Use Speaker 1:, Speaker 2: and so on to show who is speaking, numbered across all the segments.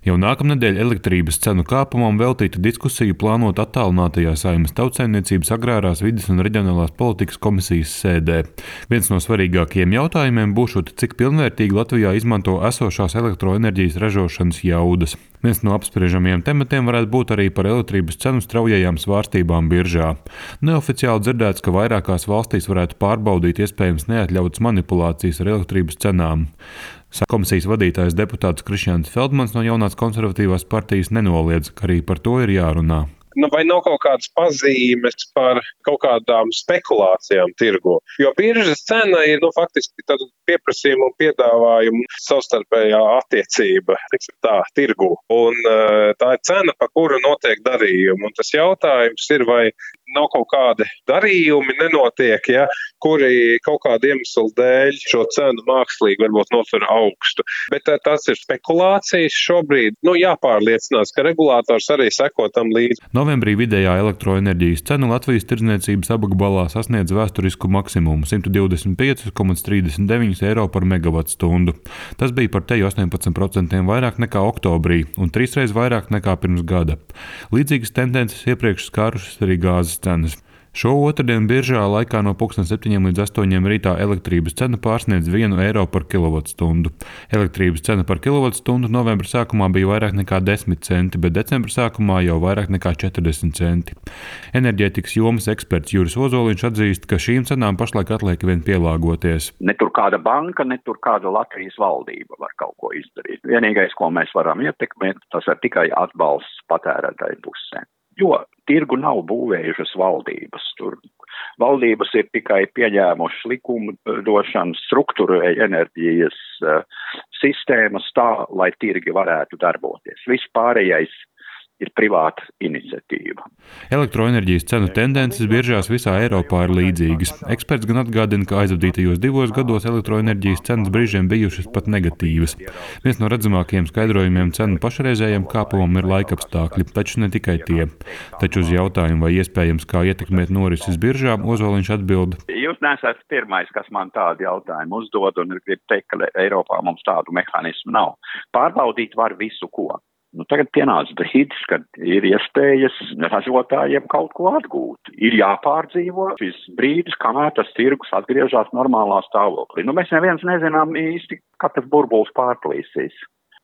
Speaker 1: Jau nākamnedēļ elektrības cenu kāpumam veltīta diskusija plānot attālinātajā Saeimas Tautsaimniecības agrārās vides un reģionālās politikas komisijas sēdē. Viens no svarīgākajiem jautājumiem būšot, cik pilnvērtīgi Latvijā izmanto esošās elektroenerģijas ražošanas jaudas. Viens no apspriežamajiem tematiem varētu būt arī par elektrības cenu straujajām svārstībām biržā. Neoficiāli dzirdēts, ka vairākās valstīs varētu pārbaudīt iespējams neatļautas manipulācijas ar elektrības cenām. Komisijas vadītājs deputāts Krišjāns Feldmans no Jaunās konservatīvās partijas nenoliedz, ka arī par to ir jārunā.
Speaker 2: Vai nav kaut kādas pazīmes par kaut kādām spekulācijām tirgu? Jo biržas cena ir faktiski pieprasījuma un piedāvājuma savstarpējā attiecība, tirgu. Un tā ir cena, pa kuru notiek darījumi. Un tas jautājums ir, vai nav kaut kādi darījumi nenotiek, kuri kaut kādu iemeslu dēļ šo cenu mākslīgi varbūt notur augstu. Bet tas ir spekulācijas šobrīd. Jāpārliecinās, ka regulators arī seko tam līdzi.
Speaker 1: Novembrī vidējā elektroenerģijas cena Latvijas tirdzniecības apgabalā sasniedz vēsturisku maksimumu – 125,39 eiro par megavatstundu. Tas bija par teju 18% vairāk nekā oktobrī un 3 reizes vairāk nekā pirms gada. Līdzīgas tendences iepriekš skārušas arī gāzes cenas. Šo otrdienu biržā laikā no 7 līdz 8 rītā elektrības cena pārsniedz 1 eiro par kilovatstundu. Elektrības cena par kilovatstundu novembra sākumā bija vairāk nekā 10 centi, bet decembra sākumā jau vairāk nekā 40 centi. Enerģētikas jomas eksperts Juris Ozoliņš atzīst, ka šīm cenām pašlaik atliek vien pielāgoties.
Speaker 3: Ne tur kāda banka, ne tur kāda Latvijas valdība var kaut ko izdarīt. Vienīgais, ko mēs varam ietekmēt, tas ir tikai atbalsts patērētāju pusē. Jo tirgu nav būvējušas valdības. Tur valdības ir tikai pieņēmušas likumu došanu, strukturēja enerģijas sistēmas tā, lai tirgi varētu darboties. Viss pārējais ir privāta iniciatīva.
Speaker 1: Elektroenerģijas cenu tendences biržās visā Eiropā ir līdzīgas. Eksperts gan atgādina, ka aizvadītajos 2 gados elektroenerģijas cenas brīžiem bijušas pat negatīvas. Viens no redzamākajiem skaidrojumiem cenu pašreizējiem kāpumam ir laikapstākļi, taču ne tikai tie. Taču uz jautājumu, vai iespējams kā ietekmēt norises biržām, Ozoliņš atbild:
Speaker 3: Jūs nesat pirmais, kas man tādu jautājumu uzdod, un grib teikt, ka Eiropā mums tādu mehānismu nav. Pārbaudīt var visu ko. Tagad pienāca brīdis, kad ir iespējas ražotājiem kaut ko atgūt. Ir jāpārdzīvo šis brīdis, kamēr tas tirgus atgriežas normālā stāvoklī. Mēs neviens nezinām īsti, kad tas burbulis pārplīsīs.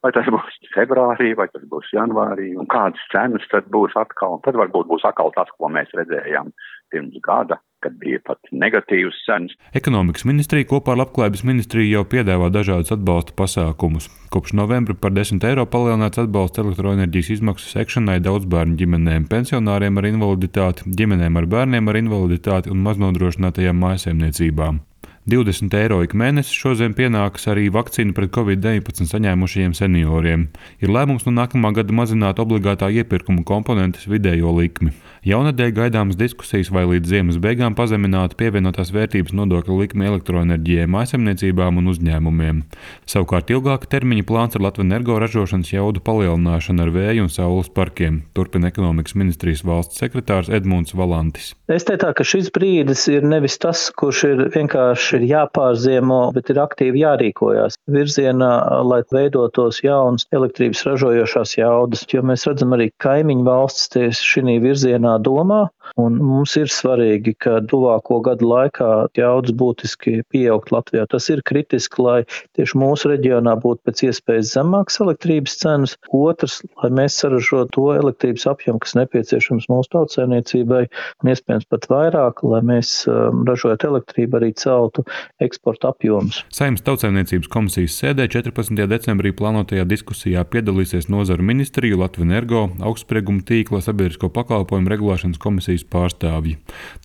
Speaker 3: Vai tas būs februārī, vai tas būs janvārī, un kādas cenas tad būs atkal. Tad varbūt būs atkal tas, ko mēs redzējām pirms gada, kad bija pat negatīvas cenas.
Speaker 1: Ekonomikas ministrija kopā ar Labklājības ministriju jau piedāvā dažādus atbalsta pasākumus. Kopš novembra par 10 eiro palielināts atbalsts elektroenerģijas izmaksu sekšanai daudzbērnu ģimenēm, pensionāriem ar invaliditāti, ģimenēm ar bērniem ar invaliditāti un maznodrošinātajām mājsaimniecībām. 20 eiro ik mēnesi šodien pienākas arī vakcīnu pret Covid-19 saņēmušajiem senioriem. Ir lēmums no nākamā gada mazināt obligātā iepirkuma komponentes vidējo likmi. Jaunadēļ gaidāmas diskusijas, vai līdz ziemas beigām pazeminātu pievienotās vērtības nodokļa likmi elektroenerģijai, mājsaimniecībām un uzņēmumiem. Savukārt ilgāka termiņa plāns ar Latvenergo ražošanas jaudu palielināšanu ar vēju un saules parkiem, turpina ekonomikas ministrijas valsts sekretārs Edmunds Valantis.
Speaker 4: Es teiktu, ka šis brīdis ir nevis tas, kurš ir vienkārši jāpārziemo, bet ir aktīvi jārīkojās virzienā, lai veidotos jaunas elektrības ražojošās jaudas, jo mēs redzam arī kaimiņu valstis tieši šī virzienā domā, un mums ir svarīgi, ka tuvāko gadu laikā jaudas būtiski pieaugt Latvijā. Tas ir kritiski, lai tieši mūsu reģionā būtu pēc iespējas zemākas elektrības cenas. Otrs, lai mēs saražotu to elektrības apjomu, kas nepieciešams mūsu tautsaimniecībai, un iespējams pat vairāk, lai mēs ražojot elektrību arī celtu eksporta apjomus.
Speaker 1: Saeimas Tautsaimniecības komisijas sēdē 14. decembrī plānotajā diskusijā piedalīsies nozaru ministriju, Latvenergo, augstsprieguma tīkla sabiedrisko pakalpojumu regulēšanas komisijas pārstāvji.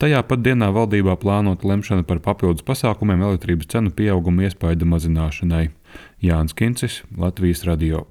Speaker 1: Tajā pat dienā valdībā plānota lemšana par papildus pasākumiem elektrības cenu pieauguma iespaidu mazināšanai. Jānis Kincis, Latvijas radio.